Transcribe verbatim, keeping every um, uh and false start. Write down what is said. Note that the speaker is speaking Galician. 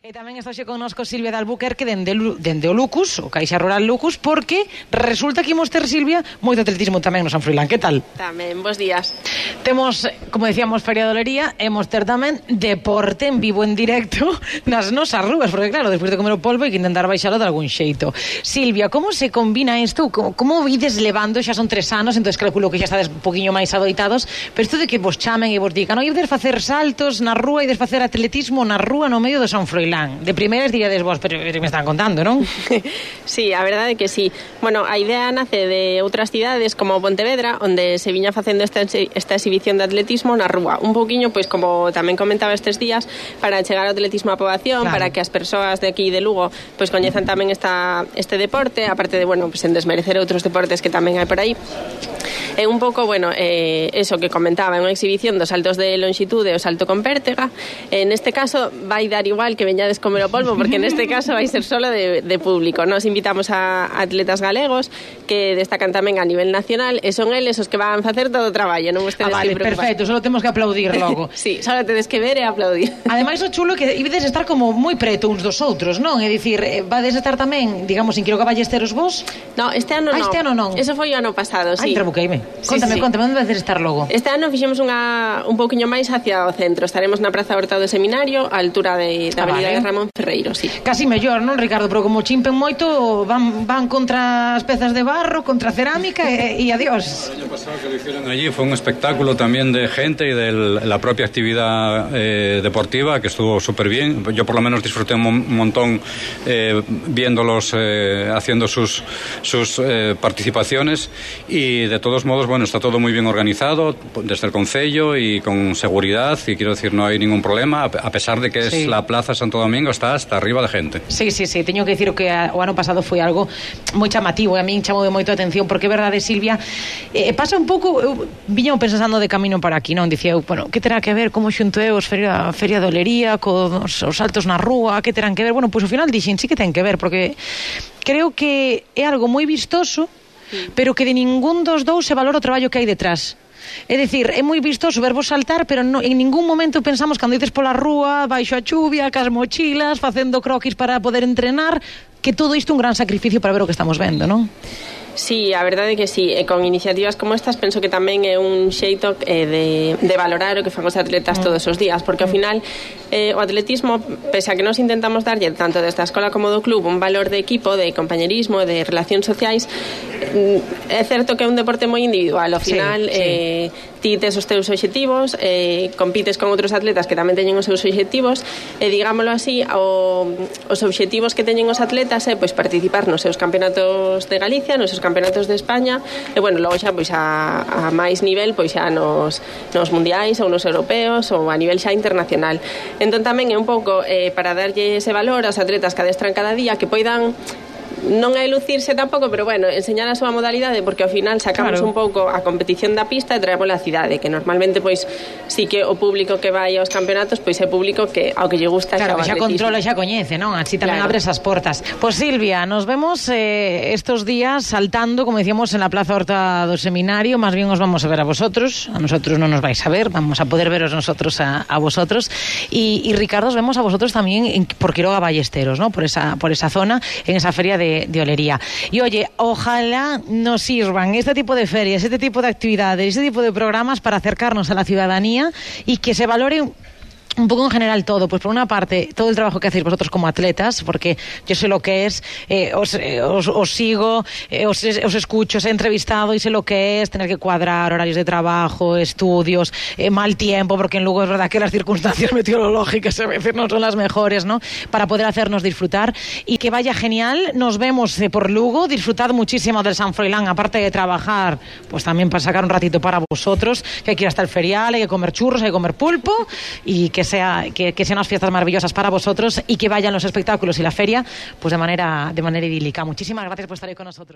E tamén está xe connosco Silvia de Albuquerque dende, dende o Lucus, o Caixa Rural Lucus, porque resulta que imos ter, Silvia, moito atletismo tamén no San Froilán. Que tal? Tamén, bons días. Temos, como decíamos, Feria de Olería, e mos ter tamén deporte en vivo en directo nas nosas rúas, porque claro, despois de comer o polvo hai que intentar baixalo de algún xeito. Silvia, como se combina isto? Como, como ides levando? Xa son tres anos, entón calculo que xa estades un poquinho máis adoitados, pero isto de que vos chamen e vos digan, non, ides facer saltos na rúa, ides facer atletismo na rúa no medio do San Froilán. De primeiras diríades vos, pero me están contando, non? Sí, a verdade é que sí. Bueno, a idea nace de outras cidades como Pontevedra, onde se viña facendo esta, esta exhibición de atletismo na rúa. Un pouquiño, pois, como tamén comentaba estes días, para chegar ao atletismo á poboación, claro, para que as persoas de aquí de Lugo pois coñezan tamén esta, este deporte, aparte de, bueno, pois, en desmerecer outros deportes que tamén hai por aí. É un pouco, bueno, eh, eso que comentaba, é unha exhibición dos saltos de longitude e o salto con pértega. En este caso vai dar igual que veñades comer o polvo, porque neste caso vai ser solo de, de público. Nos invitamos a atletas galegos que destacan tamén a nivel nacional e son eles os que van facer todo o traballo, non vostedes ah, vale, que preocupar. Perfecto, solo temos que aplaudir logo. Sí, solo tedes que ver e aplaudir. Ademais, o chulo é que ibedes estar como moi preto uns dos outros, non? É dicir, vades estar tamén, digamos, en Quiroga Ballesteros vos? No, este ano non. Ah, este ano non. Eso foi o ano pasado, sí. Ai, trabuqueime. Sí, Contame, sí. contame, onde vais estar logo? Este ano fixemos unha, un pouquiño máis hacia o centro. Estaremos na Praza Horta do Seminario, á altura de, da ah, Avenida vale. de Ramón Ferreiro, sí. Casi mellor, non, Ricardo? Pero como chimpen moito, van, van contra as pezas de barro, contra a cerámica e, e adiós. El año pasado que lo hicieron allí fue un espectáculo también de gente y de la propia actividad eh, deportiva, que estuvo súper bien. Yo por lo menos disfruté un montón eh, viéndolos eh, haciendo sus, sus eh, participaciones, y de todos modos, bueno, está todo muy bien organizado desde el concello y con seguridad, y quiero decir, no hay ningún problema, a pesar de que es sí. la Plaza Santo Domingo, está hasta arriba de gente. Sí, sí, sí, teño que dicir que o ano pasado foi algo moi chamativo, e a min chamou moito a atención, porque é verdade, Silvia, eh, pasa un pouco, eu viño pensando de camino para aquí, non? Dicía eu, bueno, que terá que ver como xunto eu os feria, feria de Olería cos os saltos na rúa, que terán que ver? Bueno, pois ao final dixen, sí que ten que ver, porque creo que é algo moi vistoso, sí, pero que de ningún dos dous se valora o traballo que hai detrás. É dicir, é moi vistoso vervos saltar, pero no, en ningún momento pensamos cando ides pola rúa, baixo a chuvia, cas mochilas, facendo croquis para poder entrenar, que todo isto é un gran sacrificio para ver o que estamos vendo, non? Sí, a verdade é que sí, e con iniciativas como estas penso que tamén é un xeito eh, de, de valorar o que fan os atletas todos os días, porque ao final eh, o atletismo, pese a que nos intentamos darlle tanto desde a escola como do club un valor de equipo, de compañerismo, de relacións sociais, é certo que é un deporte moi individual, ao final sí, sí. Eh, ti tes os teus obxectivos, eh, compites con outros atletas que tamén teñen os seus obxectivos, e digámoslo así, o, os obxectivos que teñen os atletas é pois participar nos seus campeonatos de Galicia, nos seus campeonatos de España, e bueno, logo xa pois a, a máis nivel, pois xa nos, nos mundiais ou nos europeos ou a nivel xa internacional. Entón tamén é un pouco eh, para darlle ese valor aos atletas que adestran cada día, que poidan non é lucirse tampouco, pero bueno, enseñar a súa modalidade, porque ao final sacamos claro. un pouco a competición da pista e traemos a cidade, que normalmente pois sí que o público que vai aos campeonatos pois é público que ao que lle gusta claro, xa o xa atletismo. controla, xa coñece, non? Así tamén claro. abre esas portas. Pois Silvia, nos vemos eh, estos días saltando, como decíamos, en la Plaza Horta do Seminario. Más bien os vamos a ver a vosotros, a nosotros non nos vais a ver, vamos a poder veros nosotros a, a vosotros, y, y Ricardo, os vemos a vosotros también en, por Quiroga Ballesteros, ¿no? Por esa, por esa zona, en esa feria de, de Olería. Y oye, ojalá nos sirvan este tipo de ferias, este tipo de actividades, este tipo de programas para acercarnos a la ciudadanía y que se valore un poco en general todo. Pues por una parte, todo el trabajo que hacéis vosotros como atletas, porque yo sé lo que es, eh, os, eh, os, os sigo, eh, os, os escucho, os he entrevistado y sé lo que es tener que cuadrar horarios de trabajo, estudios, eh, mal tiempo, porque en Lugo es verdad que las circunstancias meteorológicas a veces no son las mejores, ¿no? Para poder hacernos disfrutar, y que vaya genial. Nos vemos eh, por Lugo, disfrutad muchísimo del San Froilán, aparte de trabajar, pues también para sacar un ratito para vosotros, que hay que ir hasta el ferial, hay que comer churros, hay que comer pulpo, y que sea que, que sean unas fiestas maravillosas para vosotros, y que vayan los espectáculos y la feria pues de manera de manera idílica. Muchísimas gracias por estar ahí con nosotros.